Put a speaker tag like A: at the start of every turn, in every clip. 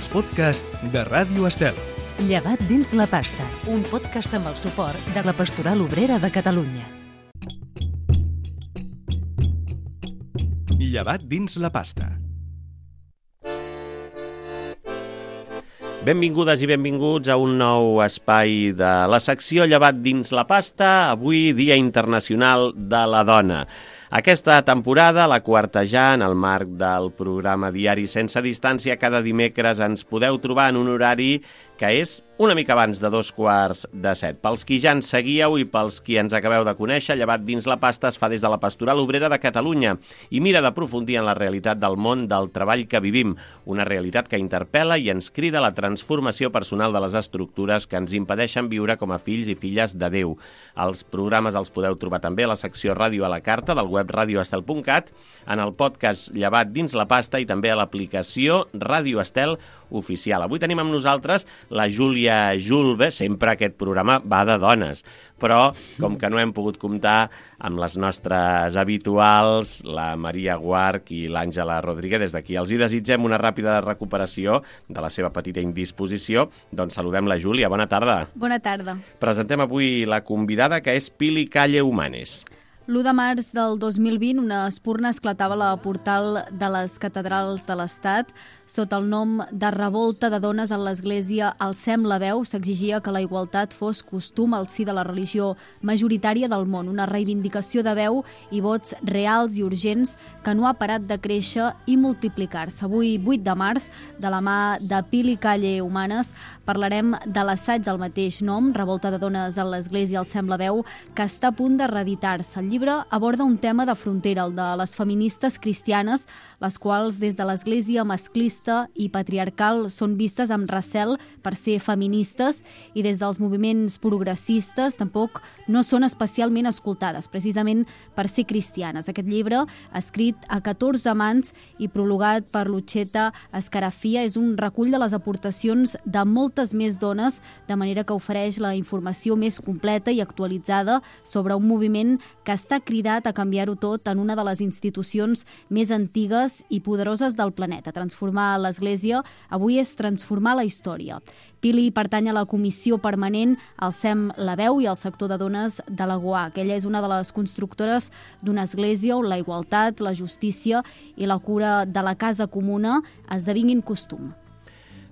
A: els podcasts de Ràdio Estel.
B: Llevat dins la pasta, un podcast amb el suport de la Pastoral Obrera de Catalunya.
A: Llevat dins la pasta.
C: Benvingudes i benvinguts a un nou espai de la secció Llevat dins la pasta, avui Dia Internacional de la Dona. Aquesta temporada, la quarta ja, en el marc del programa diari Sense Distància, cada dimecres ens podeu trobar en un horari que és una mica abans de 6:45. Pels qui ja ens seguíeu i pels qui ens acabeu de conèixer, Llevat dins la pasta es fa des de la Pastoral Obrera de Catalunya i mira d'aprofundir en la realitat del món del treball que vivim, una realitat que interpel·la i ens crida a la transformació personal de les estructures que ens impedeixen viure com a fills i filles de Déu. Els programes els podeu trobar també a la secció Ràdio a la Carta del web radioestel.cat, en el podcast Llevat dins la pasta i també a l'aplicació Ràdio Estel oficial. Avui tenim amb nosaltres la Júlia Julve. Sempre aquest programa va de dones, però com que no hem pogut comptar amb les nostres habituals, la Maria Guarch i l'Àngela Rodríguez, des d'aquí els hi desitgem una ràpida recuperació de la seva petita indisposició. Doncs saludem la Júlia. Bona tarda.
D: Bona tarda.
C: Presentem avui la convidada, que és Pili Calle Humanes.
D: L'1 de març del 2020, una espurna esclatava a la portal de les catedrals de l'Estat. Sota el nom de Revolta de Dones en l'Església Alcem la Veu, s'exigia que la igualtat fos costum al si de la religió majoritària del món, una reivindicació de veu i vots reals i urgents que no ha parat de créixer i multiplicar-se. Avui, 8 de març, de la mà de Pili Calle Humanes, parlarem de l'assaig del mateix nom, Revolta de Dones en l'Església Alcem la Veu, que està a punt de reeditar-se. El llibre aborda un tema de frontera, el de les feministes cristianes, les quals des de l'Església masclista i patriarcal són vistes amb recel per ser feministes i des dels moviments progressistes tampoc no són especialment escoltades, precisament per ser cristianes. Aquest llibre, escrit a 14 mans i prologat per Lucetta Scarafia, és un recull de les aportacions de moltes més dones, de manera que ofereix la informació més completa i actualitzada sobre un moviment que està cridat a canviar-ho tot en una de les institucions més antigues i poderoses del planeta. Transformar l'Església avui és transformar la història. Pili pertany a la Comissió Permanent Alcem la Veu i al sector de dones de la GOAC. Ella és una de les constructores d'una església on la igualtat, la justícia i la cura de la casa comuna esdevinguin costum.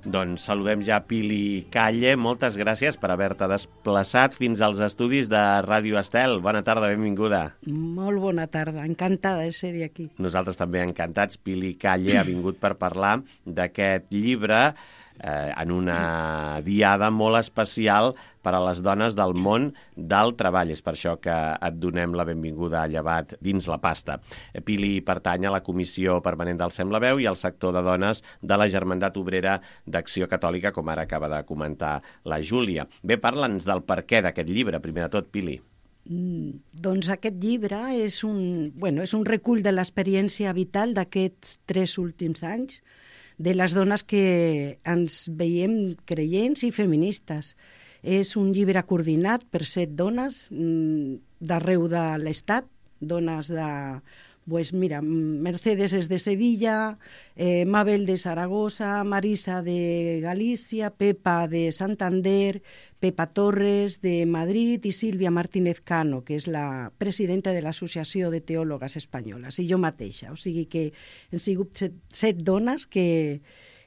C: Doncs saludem ja Pili Calle. Moltes gràcies per haver-te desplaçat fins als estudis de Ràdio Estel. Bona tarda, benvinguda.
E: Molt bona tarda, encantada de ser aquí.
C: Nosaltres també encantats. Pili Calle ha vingut per parlar d'aquest llibre en una diada molt especial per a les dones del món del treball. És per això que et donem la benvinguda a Llevat dins la pasta. Pili pertany a la Comissió Permanent d'Alcem la Veu i al sector de dones de la Germandat Obrera d'Acció Catòlica, com ara acaba de comentar la Júlia. Bé, parla'ns del perquè d'aquest llibre, primer de tot, Pili.
E: Doncs aquest llibre és un recull de l'experiència vital d'aquests 3 últims anys, de les dones que ens veiem creients i feministes. És un llibre coordinat per 7 dones d'arreu de l'Estat, dones de... Pues mira, Mercedes és de Sevilla, Mabel de Saragossa, Marisa de Galícia, Pepa de Santander, Pepa Torres de Madrid i Sílvia Martínez Cano, que és la presidenta de l'Associació de Teòlogues Espanyoles, i jo mateixa. O sigui que hem sigut 7 dones que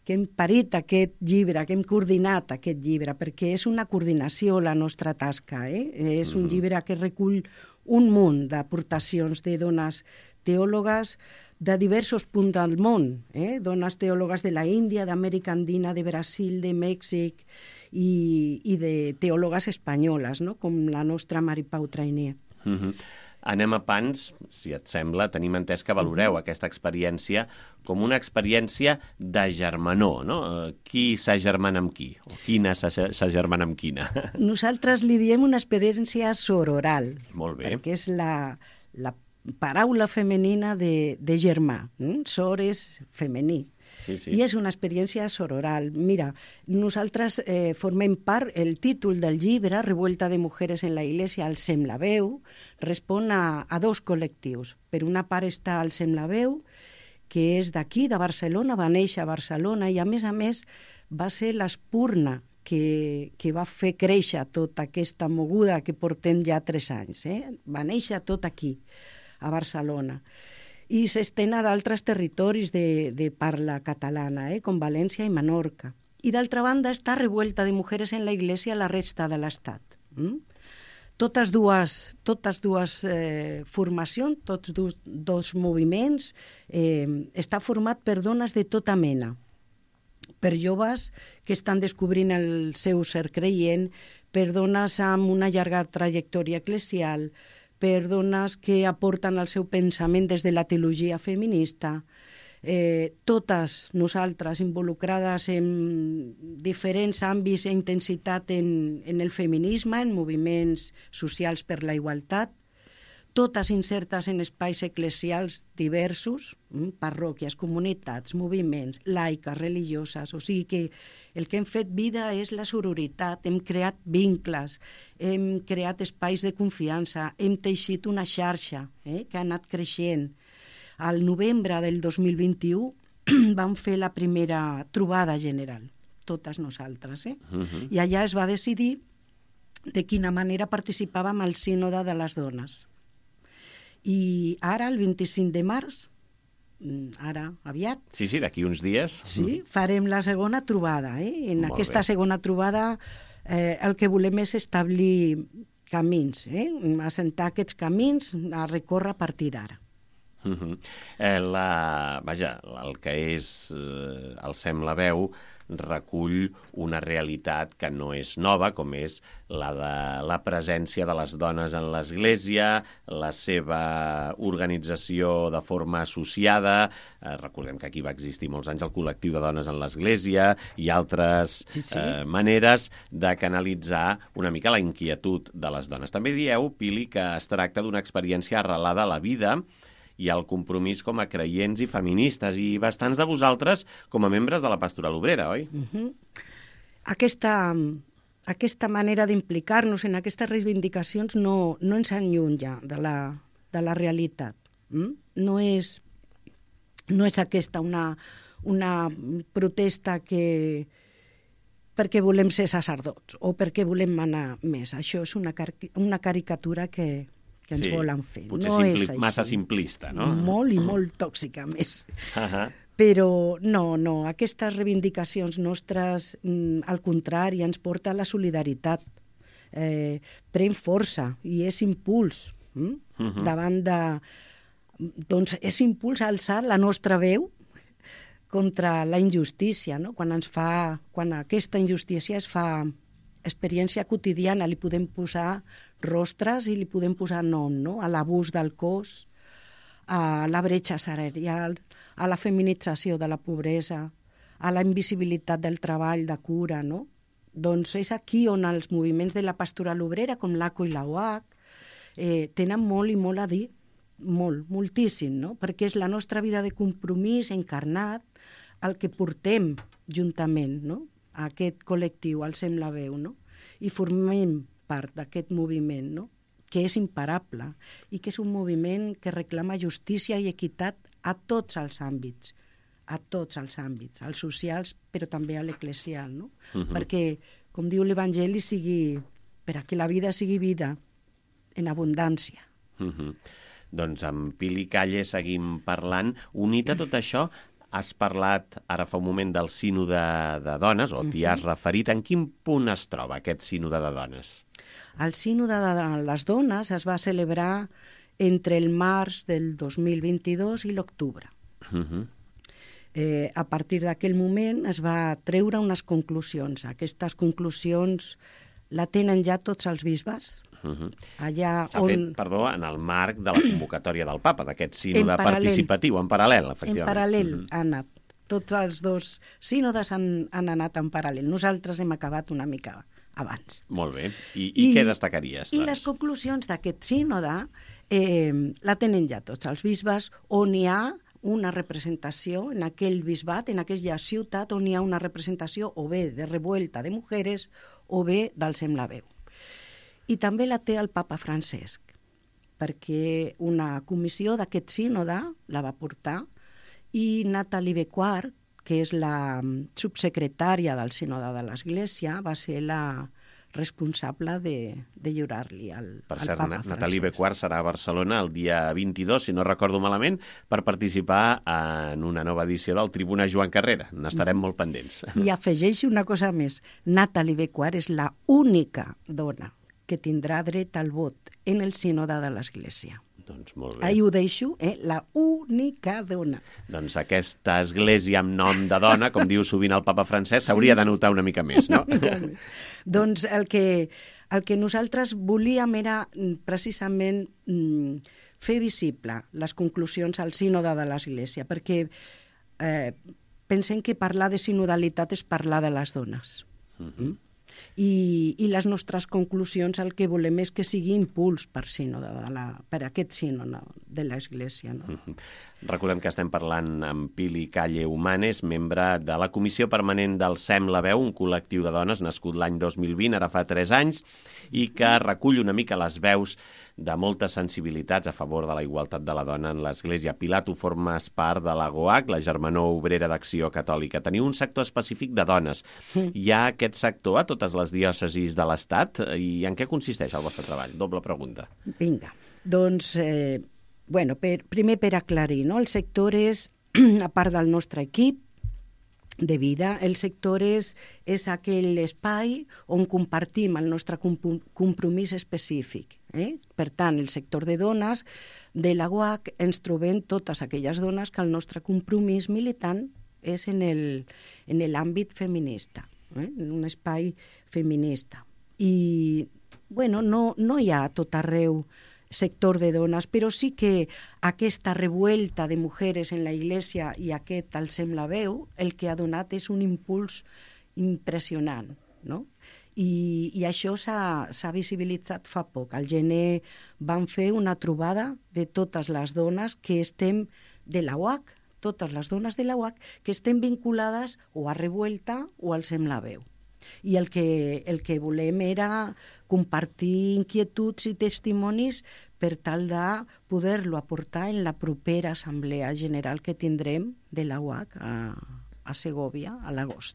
E: hem parit aquest llibre, que hem coordinat aquest llibre, perquè és una coordinació la nostra tasca. És un llibre que recull un munt d'aportacions de dones teòlogues de diversos punts del món, dones teòlogues de la Índia, d'Amèrica Andina, de Brasil, de Mèxic i de teòlogues espanyoles, no? Com la nostra Mari Pau Trainer.
C: Anem a pans, si et sembla. Tenim entès que valoreu aquesta experiència com una experiència de germanor, no? Qui s'agermana amb qui? O quina s'agermana amb quina?
E: Nosaltres li diem una experiència sororal.
C: Molt bé.
E: Perquè és la paraula femenina de germà. Sor és femení.
C: Sí, sí.
E: I és una experiència sororal. Mira, nosaltres formem part, el títol del llibre, Revuelta de Mujeres en la Iglesia, Alcem la Veu, respon a 2 col·lectius. Per una part està Alcem la Veu que és d'aquí, de Barcelona, va néixer a Barcelona i a més va ser l'espurna que va fer créixer tota aquesta moguda que portem ja 3 anys. Va néixer tot aquí, a Barcelona. I s'estén a d'altres territoris de parla catalana, com València i Menorca. I d'altra banda està Revuelta de Mujeres en la Iglesia a la resta de l'Estat. Totes dues formacions, tots dos moviments, està format per dones de tota mena, per joves que estan descobrint el seu ser creient, per dones amb una llarga trajectòria eclesial, per dones que aporten el seu pensament des de la teologia feminista, totes nosaltres involucrades en diferents àmbits i intensitat en el feminisme, en moviments socials per la igualtat, totes insertes en espais eclesials diversos, parròquies, comunitats, moviments, laiques, religioses. O sigui que el que hem fet vida és la sororitat, hem creat vincles, hem creat espais de confiança, hem teixit una xarxa que ha anat creixent. Al novembre del 2021 vam fer la primera trobada general, totes nosaltres. I allà es va decidir de quina manera participàvem al sínode de les dones. I ara, el 25 de març, ara aviat...
C: Sí, d'aquí uns dies.
E: Sí, farem la segona trobada. En aquesta segona trobada el que volem és establir camins, assentar aquests camins a recórrer a partir d'ara.
C: Vaja, el que és Alcem la veu recull una realitat que no és nova, com és la de la presència de les dones en l'Església, la seva organització de forma associada. Recordem que aquí va existir molts anys el col·lectiu de dones en l'Església i altres maneres de canalitzar una mica la inquietud de les dones. També dieu, Pili, que es tracta d'una experiència arrelada a la vida i el compromís com a creients i feministes, i bastants de vosaltres com a membres de la Pastoral Obrera, oi?
E: Aquesta manera d'implicar-nos en aquestes reivindicacions no ens allunya de la realitat. No és aquesta una protesta perquè volem ser sacerdots o perquè volem manar més. Això és una caricatura que ens volen fer.
C: Potser massa simplista, no?
E: Molt i molt tòxica, més. Però no, aquestes reivindicacions nostres, al contrari, ens porta a la solidaritat. Pren força i és impuls davant de... Doncs és impuls a alçar la nostra veu contra la injustícia, no? Quan aquesta injustícia es fa experiència quotidiana, li podem posar rostres i li podem posar nom, no? A l'abús del cos, a la bretxa salarial, a la feminització de la pobresa, a la invisibilitat del treball de cura, no? Doncs és aquí on els moviments de la Pastoral Obrera, com l'ACO i la UAC, tenen molt i molt a dir, moltíssim, no? Perquè és la nostra vida de compromís encarnat, el que portem juntament, no? A aquest col·lectiu, Alcem la veu, no? I formem part d'aquest moviment, no? Que és imparable i que és un moviment que reclama justícia i equitat a tots els àmbits, als socials, però també a l'eclesial, no? Perquè, com diu l'Evangeli, per a que la vida sigui vida en abundància.
C: Doncs amb Pili Calle seguim parlant. Unit a tot això, has parlat ara fa un moment del sínode de dones, o t'hi has referit. En quin punt es troba aquest sínode de dones?
E: El sínode de les dones es va celebrar entre el març del 2022 i l'octubre. A partir d'aquell moment es va treure unes conclusions. Aquestes conclusions la tenen ja tots els bisbes.
C: S'ha fet, perdó, en el marc de la convocatòria del Papa, d'aquest sínode participatiu, en paral·lel, efectivament.
E: En paral·lel ha anat. Tots els dos sínodes han anat en paral·lel. Nosaltres hem acabat una mica abans.
C: Molt bé. I què destacaries?
E: I les conclusions d'aquest sínode la tenen ja tots els bisbes, on hi ha una representació en aquell bisbat, en aquella ciutat on hi ha una representació o bé de Revuelta de Mujeres o bé d'Alcem la veu. I també la té el papa Francesc, perquè una comissió d'aquest sínode la va portar i Nathalie Becquart, que és la subsecretària del Sínode de l'Església, va ser la responsable de lliurar-li al
C: cert,
E: papa Francesc.
C: Nathalie Becquart serà a Barcelona el dia 22, si no recordo malament, per participar en una nova edició del Tribuna Joan Carrera. N'estarem molt pendents.
E: I afegeixo una cosa més. Nathalie Becquart és la única dona que tindrà dret al vot en el Sínode de l'Església.
C: Doncs molt bé.
E: Ahí ho deixo, la única dona.
C: Doncs aquesta església amb nom de dona, com diu sovint el papa Francesc, s'hauria de notar una mica més, no?
E: Doncs el que nosaltres volíem era precisament fer visible les conclusions al Sínode de l'Església, perquè pensem que parlar de sinodalitat és parlar de les dones. I les nostres conclusions el que volem és que sigui impuls per aquest sínode de l'Església. No?
C: Recordem que estem parlant amb Pili Calle Humanes, membre de la Comissió Permanent del SEM La Veu, un col·lectiu de dones nascut l'any 2020, ara fa 3 anys, i que recull una mica les veus de moltes sensibilitats a favor de la igualtat de la dona en l'Església. Pilar, tu formes part de la GOAC, la Germanor Obrera d'Acció Catòlica. Teniu un sector específic de dones. Hi ha aquest sector a totes les diòcesis de l'Estat? I en què consisteix el vostre treball? Doble pregunta.
E: Vinga, doncs, primer per aclarir, no? El sector és, a part del nostre equip de vida, el sector és aquell espai on compartim el nostre compromís específic. Per tant, el sector de dones de la UAC ens trobem totes aquelles dones que el nostre compromís militant és en l'àmbit feminista, en un espai feminista. I, no hi ha a tot arreu sector de dones, però sí que aquesta revuelta de mujeres en la Iglesia i aquest Alcem la Veu, el que ha donat és un impuls impressionant, no? I això s'ha visibilitzat fa poc. Al gener vam fer una trobada de totes les dones que estem de la UAC, totes les dones de la UAC que estem vinculades o a Revuelta o al Alcem la Veu. I el que volem era compartir inquietuds i testimonis per tal de poder-lo aportar en la propera assemblea general que tindrem de la UAC a Segòvia a l'agost.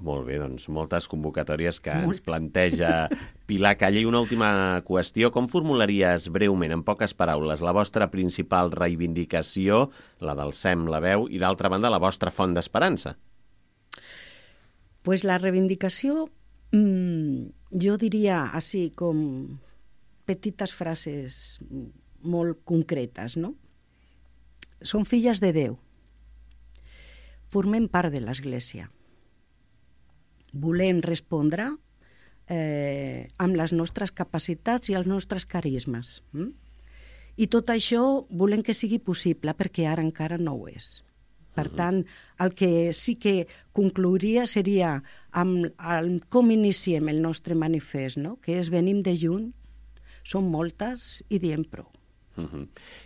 C: Molt bé, doncs moltes convocatòries que ens planteja Pilar Calle. I una última qüestió, com formularies breument, en poques paraules, la vostra principal reivindicació, la del SEM La Veu, i d'altra banda la vostra font d'esperança?
E: Pues la reivindicació, jo diria així com petites frases molt concretes, no? Som filles de Déu. Formem part de l'Església. Volem respondre amb les nostres capacitats i els nostres carismes. I tot això volem que sigui possible, perquè ara encara no ho és. Per tant, el que sí que conclouria seria amb com iniciem el nostre manifest, no? Que és venim de lluny, som moltes i diem prou.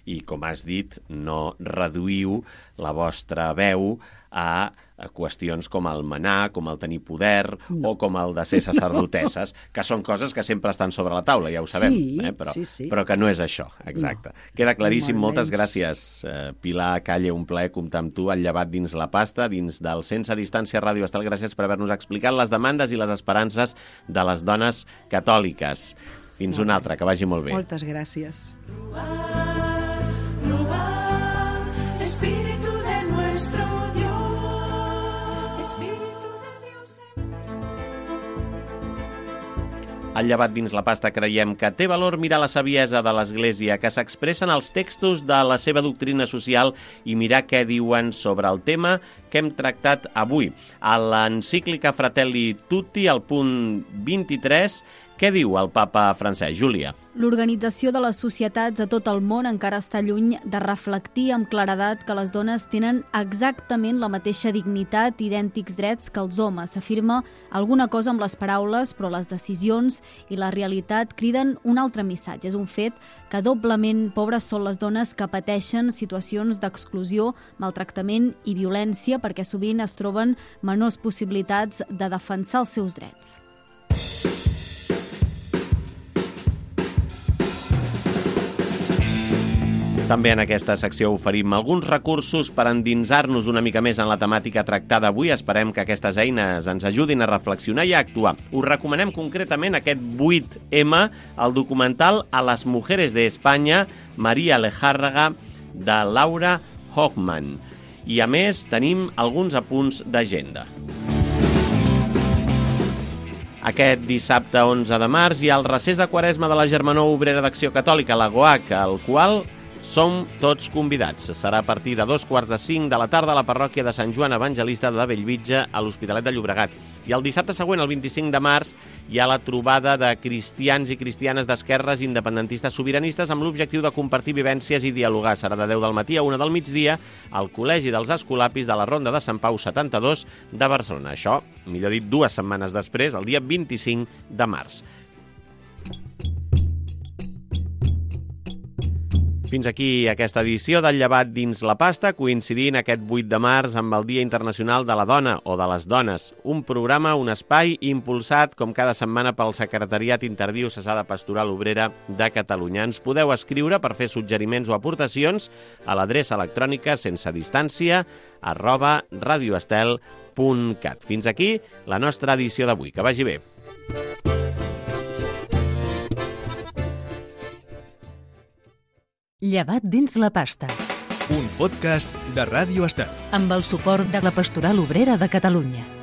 C: I com has dit, no reduïu la vostra veu a qüestions com el manar, com el tenir poder o com el de ser sacerdotesses, que són coses que sempre estan sobre la taula, ja ho sabem, però que no és això, exacte. Queda claríssim, moltes gràcies, Pilar Calle, un plaer comptar amb tu al Llevat dins la pasta, dins del Sense Distància Ràdio Estel. Gràcies per haver-nos explicat les demandes i les esperances de les dones catòliques. Fins una altra, que vagi molt bé.
E: Moltes gràcies.
F: Espíritu de nuestro Dios, Espíritu de Dios.
C: Al Llevat dins la pasta creiem que té valor mirar la saviesa de l'Església, que s'expressa en els textos de la seva doctrina social i mirar què diuen sobre el tema que hem tractat avui. A l'encíclica Fratelli Tutti, al punt 23, què diu el papa Francesc? Júlia.
D: L'organització de les societats a tot el món encara està lluny de reflectir amb claredat que les dones tenen exactament la mateixa dignitat i idèntics drets que els homes. S'afirma alguna cosa amb les paraules, però les decisions i la realitat criden un altre missatge. És un fet que doblement pobres són les dones que pateixen situacions d'exclusió, maltractament i violència, perquè sovint es troben menors possibilitats de defensar els seus drets.
C: També en aquesta secció oferim alguns recursos per endinsar-nos una mica més en la temàtica tractada avui. Esperem que aquestes eines ens ajudin a reflexionar i a actuar. Us recomanem concretament aquest 8M, el documental A las mujeres de España, María Lejárraga, de Laura Hochman. I a més tenim alguns apunts d'agenda. Aquest dissabte 11 de març hi ha el recés de Quaresma de la Germanor Obrera d'Acció Catòlica, la GOAC, al qual som tots convidats. Serà a partir de 2:45 de la tarda a la parròquia de Sant Joan Evangelista de Bellvitge, a l'Hospitalet de Llobregat. I el dissabte següent, el 25 de març, hi ha la trobada de cristians i cristianes d'esquerres independentistes sobiranistes amb l'objectiu de compartir vivències i dialogar. Serà de 10 del matí a 1 del migdia al Col·legi dels Escolapis de la Ronda de Sant Pau 72 de Barcelona. Això, millor dit, 2 setmanes després, el dia 25 de març. Fins aquí aquesta edició del Llevat dins la pasta, coincidint aquest 8 de març amb el Dia Internacional de la Dona o de les Dones. Un programa, un espai impulsat, com cada setmana, pel Secretariat Interdiocesà de Pastoral Obrera de Catalunya. Ens podeu escriure per fer suggeriments o aportacions a l'adreça electrònica sense distància @radioestel.cat. Fins aquí la nostra edició d'avui. Que vagi bé.
B: Llevat dins la pasta,
A: Un podcast de Ràdio Estel.
B: amb el suport de la Pastoral Obrera de Catalunya.